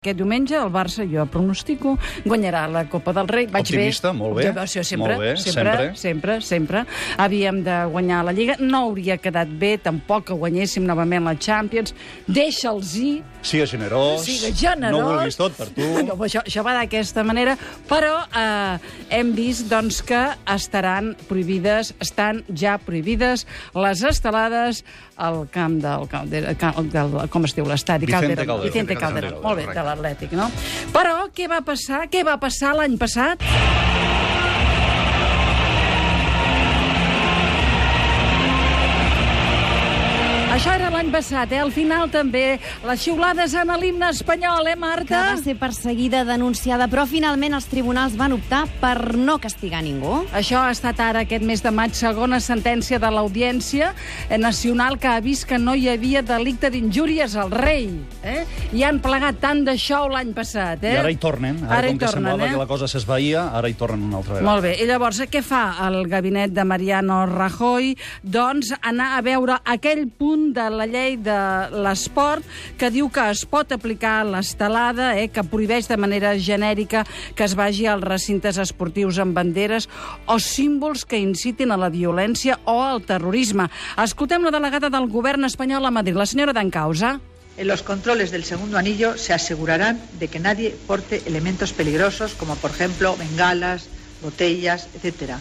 Aquest diumenge el Barça, jo pronostico, guanyarà la Copa del Rei. Optimista, molt bé. Sempre. Havíem de guanyar la Lliga. No hauria quedat bé, tampoc, que guanyéssim novament la Champions. Deixa'ls-hi. Siga generós. No ho vulguis tot per tu. No, això va d'aquesta manera. Però hem vist doncs, que estan ja prohibides les estelades al camp del com es diu l'estadi? Vicente Calderón. Molt bé, de l'Atlètic, no? Però què va passar? Què va passar l'any passat? Això era l'any passat, Al final també les xiulades en l'himne espanyol, Marta? Que va ser perseguida, denunciada, però finalment els tribunals van optar per no castigar ningú. Això ha estat ara, aquest mes de maig, segona sentència de l'Audiència Nacional que ha vist que no hi havia delicte d'injúries al rei. I han plegat tant de xou l'any passat. I ara hi tornen. Ara com que semblava que la cosa s'esvaïa, ara hi tornen una altra vegada. Molt bé. I llavors, què fa el gabinet de Mariano Rajoy? Doncs anar a veure aquell punt de la llei de l'esport que diu que es pot aplicar l'estelada, que prohibeix de manera genèrica que es vagi als recintes esportius amb banderes o símbols que incitin a la violència o al terrorisme. Escoltem la delegada del govern espanyol a Madrid, la senyora Dancausa. En los controles del segundo anillo se asegurarán de que nadie porte elementos peligrosos como, por ejemplo, bengalas, botellas, etc.,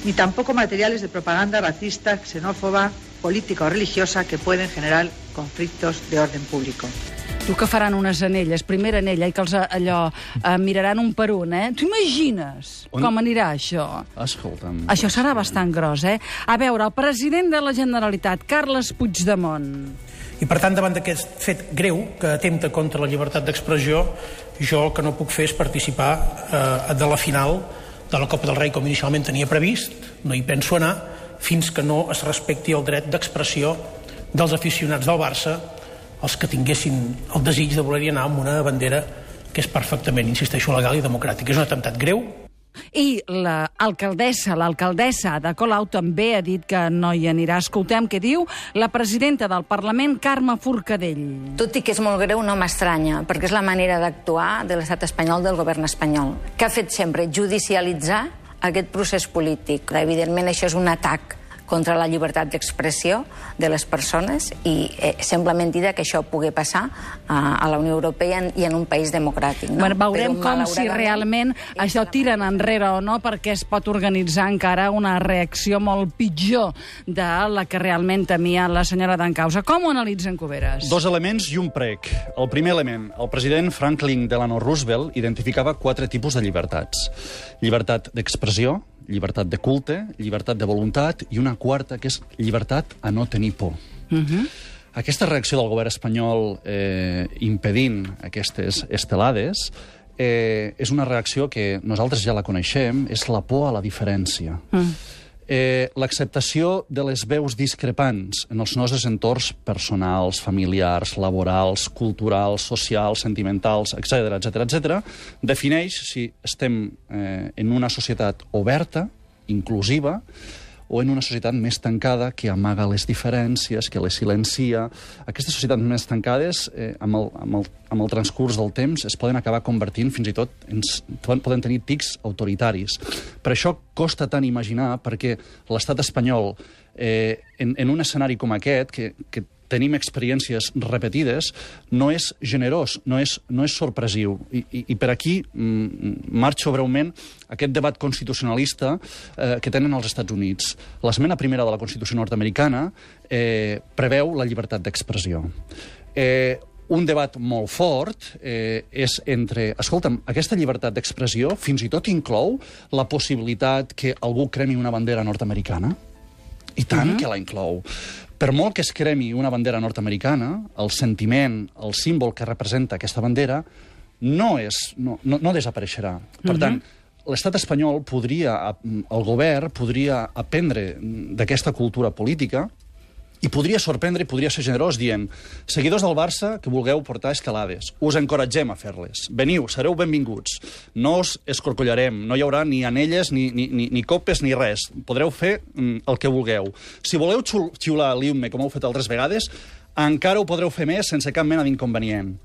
ni tampoco materiales de propaganda racista, xenófoba, política o religiosa que pueden generar conflictos de orden público. Tu que faran unes anelles, primera anella, i que els miraran un per un, T'ho imagines com anirà això? Escolta'm. Això serà bastant gros, A veure, el president de la Generalitat, Carles Puigdemont. I per tant, davant d'aquest fet greu que atempta contra la llibertat d'expressió, jo el que no puc fer és participar de la final de la Copa del Rei com inicialment tenia previst, no hi penso anar, fins que no es respecti el dret d'expressió dels aficionats del Barça, els que tinguessin el desig de voler-hi anar amb una bandera que és perfectament, insisteixo, legal i democràtica. És un atemptat greu. I l'alcaldessa de Colau també ha dit que no hi anirà. Escoltem què diu la presidenta del Parlament, Carme Forcadell. Tot i que és molt greu, no m'estranya, perquè és la manera d'actuar de l'estat espanyol, del govern espanyol, que ha fet sempre judicialitzar aquest procés polític. Evidentment, això és un atac contra la llibertat d'expressió de les persones i sembla mentida que això pugui passar a la Unió Europea i en un país democràtic. No? Bueno, veurem com si realment això tiren enrere o no, perquè es pot organitzar encara una reacció molt pitjor de la que realment temia la senyora Dancausa. Com ho analitzen, Cuberes? Dos elements i un prec. El primer element, el president Franklin Delano Roosevelt identificava 4 tipus de llibertats. Llibertat d'expressió, llibertat de culte, llibertat de voluntat i una quarta, que és llibertat a no tenir por. Aquesta reacció del govern espanyol impedint aquestes estelades és una reacció que nosaltres ja la coneixem, és la por a la diferència. L'acceptació de les veus discrepants en els nostres entorns personals, familiars, laborals, culturals, socials, sentimentals, etc., defineix si estem en una societat oberta, inclusiva, o en una societat més tancada que amaga les diferències, que les silencia. Aquestes societats més tancades, amb el transcurs del temps, es poden acabar convertint fins i tot poden tenir tics autoritaris. Per això costa tant imaginar perquè l'estat espanyol, en un escenari com aquest, que tenim experiències repetides, no és generós, no és sorpresiu. I per aquí marxo breument aquest debat constitucionalista que tenen els Estats Units. L'esmena primera de la Constitució nord-americana preveu la llibertat d'expressió. Un debat molt fort és entre... Escolta'm, aquesta llibertat d'expressió fins i tot inclou la possibilitat que algú cremi una bandera nord-americana? I tant que la inclou. Per molt que es cremi una bandera nord-americana, el sentiment, el símbol que representa aquesta bandera no desapareixerà. Per tant, l'estat espanyol el govern podria aprendre d'aquesta cultura política i podria sorprendre i podria ser generós dient: seguidors del Barça que vulgueu portar estelades, us encoratgem a fer-les. Veniu, sereu benvinguts. No us escorcollarem, no hi haurà ni anelles, ni copes, ni res. Podreu fer el que vulgueu. Si voleu xiular l'himne, com heu fet altres vegades, encara ho podreu fer més sense cap mena d'inconvenient.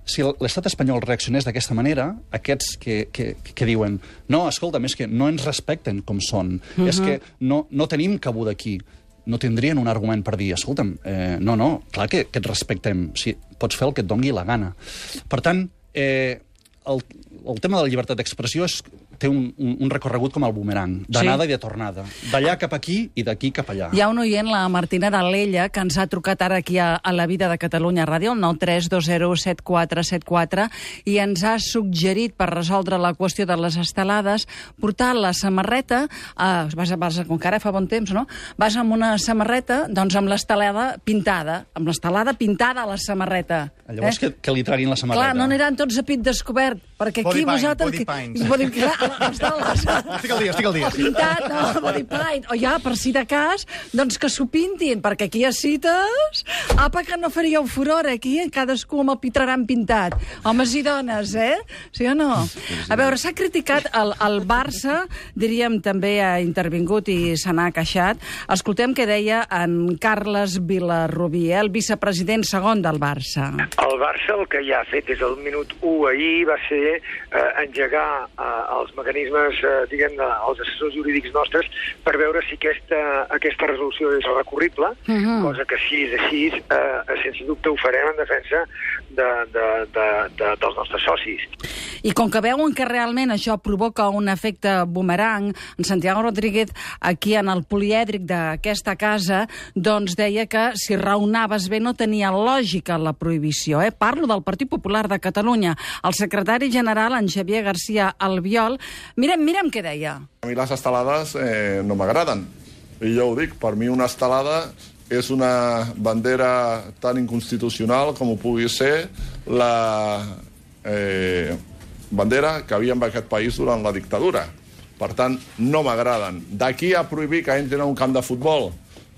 si l'estat espanyol reaccionés d'aquesta manera, aquests que diuen no, escolta'm, és que no ens respecten com són, és que no tenim cabuda aquí, no tindrien un argument per dir, escolta'm, no, clar que et respectem, si pots fer el que et dongui la gana. Per tant, el tema de la llibertat d'expressió té un recorregut com el boomerang, d'anada i de tornada. D'allà cap aquí i d'aquí cap allà. Hi ha un oient, la Martina d'Alella, que ens ha trucat ara aquí a La Vida de Catalunya Ràdio, el 932017474, i ens ha suggerit, per resoldre la qüestió de les estelades, portar la samarreta, com que ara fa bon temps, no? Vas amb una samarreta, doncs amb l'estelada pintada, a la samarreta. Llavors que li traguin la samarreta. Clar, no aniran tots a pit descobert, perquè aquí vosaltres... Body paint. Estic al dia. Pintat, no, body paint. O ja, per si de cas, doncs que s'ho pintin, perquè aquí a cites... Apa, que no faríeu furor, aquí, cadascú amb el pitraran pintat. Homes i dones, Sí o no? A veure, s'ha criticat el Barça, diríem, també ha intervingut i se n'ha queixat. Escoltem què deia en Carles Vilarrubí, el vicepresident segon del Barça. El Barça el que ja ha fet des del minut 1 ahir va ser engegar els mecanismes, diguem, els assessors jurídics nostres per veure si aquesta resolució és recurrible, cosa que si és així, sense dubte ho farem en defensa dels nostres socis. I com que veuen que realment això provoca un efecte boomerang, en Santiago Rodríguez, aquí en el polièdric d'aquesta casa, doncs deia que si raonaves bé no tenia lògica la prohibició. Parlo del Partit Popular de Catalunya. El secretari general, en Xavier García Albiol, mirem què deia. A mi les estelades no m'agraden. I jo ho dic, per mi una estelada és una bandera tan inconstitucional com ho pugui ser la bandera que havia en aquest país durant la dictadura. Per tant, no m'agraden. D'aquí a prohibir que entrin a un camp de futbol,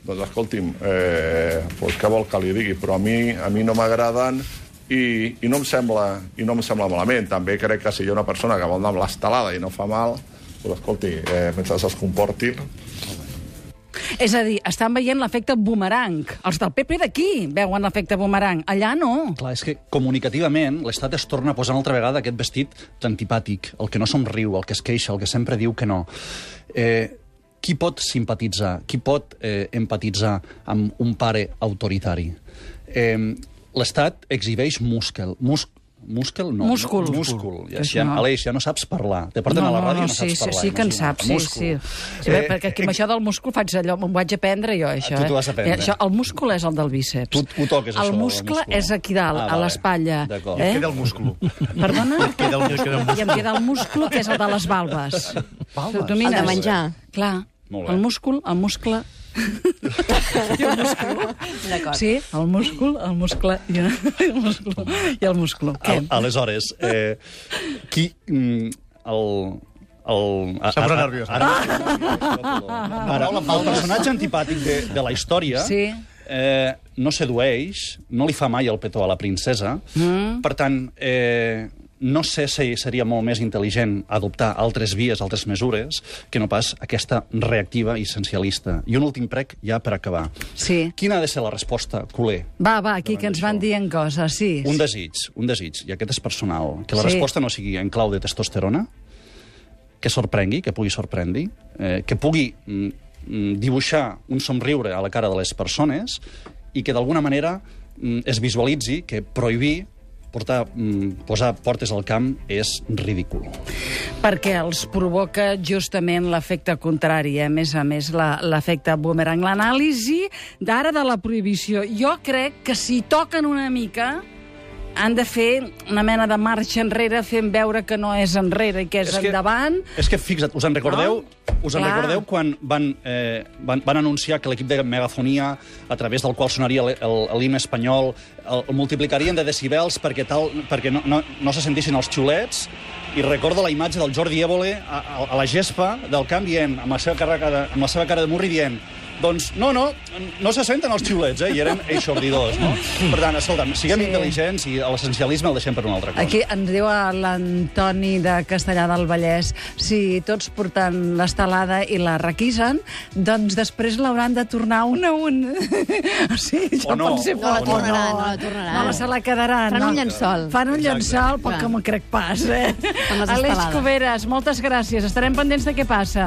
doncs escolti'm, què vol que li digui? Però a mi no m'agraden i no em sembla malament. També crec que si hi ha una persona que vol anar amb l'estelada i no fa mal, doncs escolti, mentre es comportin. És a dir, estan veient l'efecte boomerang. Els del PP d'aquí veuen l'efecte boomerang. Allà no. Clar, és que comunicativament l'Estat es torna a posar una altra vegada aquest vestit antipàtic, el que no somriu, el que es queixa, el que sempre diu que no. Qui pot simpatitzar, qui pot empatitzar amb un pare autoritari? L'Estat exhibeix múscul. Múscul. Aleix, ja no saps parlar. Te porten a la ràdio i no saps parlar. Sí que en saps, sí. Perquè aquí amb això del múscul faig allò, m'ho vaig aprendre jo, això. Tu t'ho vas aprendre. El múscul és el del bíceps. Tu ho toques, això. El muscle és aquí dalt, a l'espatlla. D'acord. I em queda el múscul. Perdona? I em queda el múscul, que és el de les valves. El de menjar. Clar. El muscle... I el múscul. Sí, el muscle i el múscul. Aleshores, qui... S'ha posat nerviós. Ara, el personatge antipàtic de la història no sedueix, no li fa mai el petó a la princesa, per tant... No sé si seria molt més intel·ligent adoptar altres vies, altres mesures, que no pas aquesta reactiva i essencialista. I un últim prec ja per acabar. Sí. Quina ha de ser la resposta, culer? Va, aquí que ens van dient coses, sí. Un desig, i aquest és personal, que la resposta no sigui en clau de testosterona, que sorprengui, que pugui sorprendre, que pugui dibuixar un somriure a la cara de les persones i que d'alguna manera es visualitzi que prohibir posar portes al camp és ridícul. Perquè els provoca justament l'efecte contrari, a més, l'efecte boomerang. L'anàlisi d'ara de la prohibició. Jo crec que si toquen una mica han de fer una mena de marxa enrere fent veure que no és enrere i que és endavant. És que, fixa't, us en recordeu quan van anunciar que l'equip de megafonia, a través del qual sonaria l'himne espanyol, el multiplicarien de decibels perquè no se sentissin els xiulets, i recordo la imatge del Jordi Évole a la gespa del camp dient, amb la seva cara de murri, dient Doncs no se senten els xiulets, i eren eixordidors, no? Per tant, escolta'm, siguem intel·ligents i l'essencialisme el deixem per una altra cosa. Aquí ens diu l'Antoni de Castellà del Vallès, si tots porten l'estelada i la requisen, doncs després l'hauran de tornar un a un. O sigui, ja pot ser no la tornaran. No, se la quedaran. Fan un llençol. Fan un llençol, però que m'ho crec pas, Aleix Cuberes, moltes gràcies. Estarem pendents de què passa.